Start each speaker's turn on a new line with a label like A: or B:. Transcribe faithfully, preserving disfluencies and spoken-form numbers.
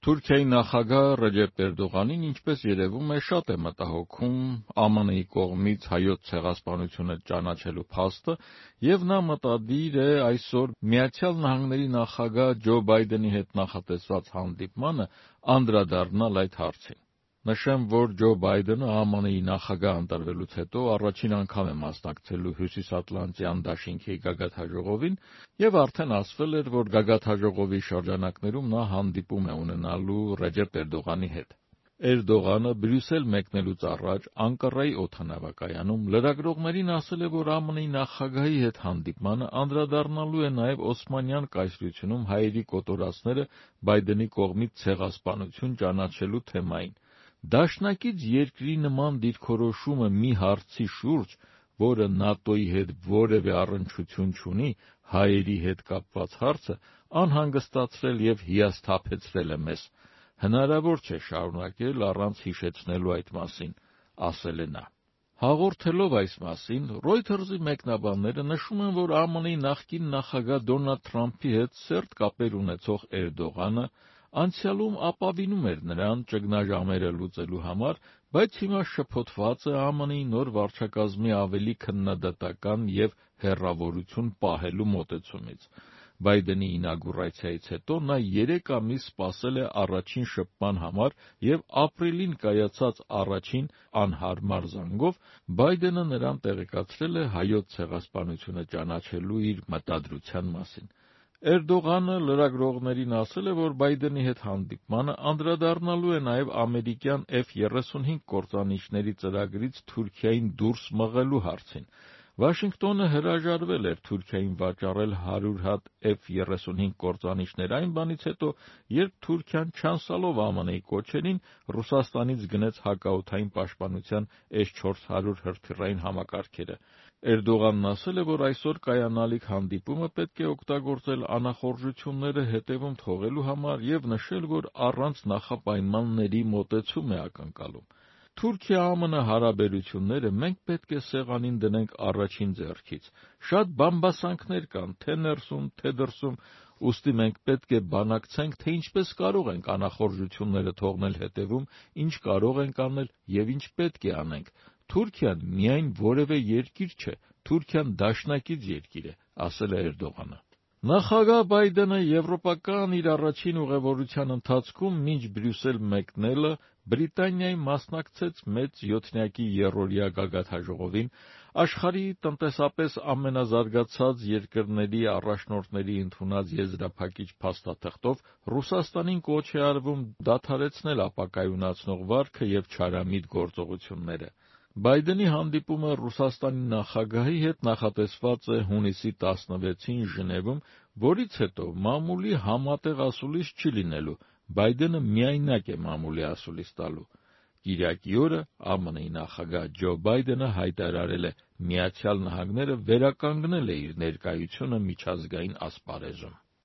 A: Թուրքիայի նախագահ Ռեջեփ Էրդողանին, ինչպես երևում է, շատ է մտահոգում Է Մ Ն-ի կողմից հայոց ցեղասպանությունը ճանաչելու փաստը, եւ նա մտադիր է այսօր Միացյալ Նահանգների նախագահ Ջո Բայդենի հետ նախատեսված հանդիպմանը անդրադառնալ այդ հարցին։ Նշեմ, որ Ջո Բայդենը Ա Մ Ն-ի նախագահ ընտրվելուց հետո առաջին անգամ է մասնակցելու Հյուսիսատլանտյան դաշինքի գագաթնաժողովին եւ արդեն ասվել էր, որ գագաթնաժողովի շրջանակներում նա հանդիպում է ունենալու Ռեջեփ Էրդողանի հետ։ Էրդողանը Բրյուսել մեկնելուց առաջ Անկարայի օդանավակայանում լրագրողներին ասել է, որ Ա Մ Ն-ի նախագահի հետ հանդիպմանը անդրադառնալու է նաեւ Օսմանյան կայսրությունում հայերի կոտորածները Բայդենի կողմից ցեղասպանություն ճանաչելու թեմային։ Դաշնակից երկրի նման դիրքորոշումը մի հարցի շուրջ, որը ՆԱՏՕ-ի հետ որևէ առնչություն չունի, հայերի հետ կապված հարցը, անհանգստացրել եւ հիասթափեցրել է մեզ։ Հնարավոր չէ շարունակել առանց հիշեցնելու այդ մասին, ասել է նա։ Հաղորդելով այս մասին, Reuters-ի մեկնաբանները նշում են, որ Ա Մ Ն-ի նախկին նախագահ Դոնալդ Թրամփի հետ սերտ կապեր ունեցող Էրդողանը անցյալում ապավինում էր նրան ճգնաժամերը լուծելու համար, բայց հիմա շփոթված է Ա Մ Ն-ի նոր վարչակազմի ավելի քննադատական եւ հեռավորություն պահելու մոտեցումից։ Բայդենի ինագուրացիայից հետո նա երեք ամիս սպասել է առաջին շփման համար եւ ապրիլին կայացած առաջին անհարմար զանգով Բայդենը նրան տեղեկացրել է հայոց ցեղասպանությունը ճանաչելու իր մտադրության մասին։ Էրդողանը լրագրողներին ասել է, որ Բայդենի հետ հանդիպմանը անդրադառնալու է նաեւ ամերիկյան F thirty-five կործանիչների ծրագրից Թուրքիային դուրս մղելու հարցին։ Վաշինգտոնը հրաժարվել էր Թուրքիային վաճառել հարյուր հատ F thirty-five կործանիչներ այն բանից հետո, երբ Թուրքիան չանցալով Ա Մ Ն-ի կոչերին Ռուսաստանից գնեց հակաօդային պաշտպանության S four hundred հրթիռային համակարգերը։ Էրդողանն ասել է, որ այսօր կայանալիք հանդիպումը պետք է օգտագործել անախորժությունները հետևում թողելու համար եւ նշել, որ առանց նախապայմանների մոտեցում է ակնկալում։ Թուրքիա-Ա Մ Ն հարաբերությունները մենք պետք է սեղանին դնենք առաջին ձեռքից։ Շատ բամբասանքներ կան թե ներսում, թե դրսում, ուստի մենք պետք է բանակցենք, թե ինչպես կարող ենք անախորժությունները թողնել հետևում, ինչ կարող ենք անել եւ ինչ պետք է անենք։ Թուրքիան միայն որևէ երկիր չէ, Թուրքիան դաշնակից երկիր է, ասել է Էրդողանը։ Նախագահ Բայդենը եվրոպական իր առաջին ուղևորության ընթացքում մինչ Բրյուսել մեկնելը Բրիտանիայի մասնակցեց մեծ յոթնյակի եռօրյա գագաթնաժողովին, աշխարհի տնտեսապես ամենազարգացած երկրների առաջնորդների ընդունած եզրափակիչ փաստաթղթով Ռուսաստանին կոչ է արվում դադարեցնել ապակայունացնող վարքը եւ չարամիտ գործողությունները։ Բայդենի հանդիպումը Ռուսաստանի նախագահի հետ նախատեսված է հունիսի տասնվեցին Ժնևում, որից հետո մամուլի համատեղ ասուլիս չի լինելու, Բայդենը միայնակ է մամուլի ասուլիս տալու։ Կիրակի օրը Ա Մ Ն-ի նախագահ Ջո Բայդենը հայտարարել է. Միացյալ Նահանգները վերականգնել է իր ներկայությունը միջազգային ասպարեզում։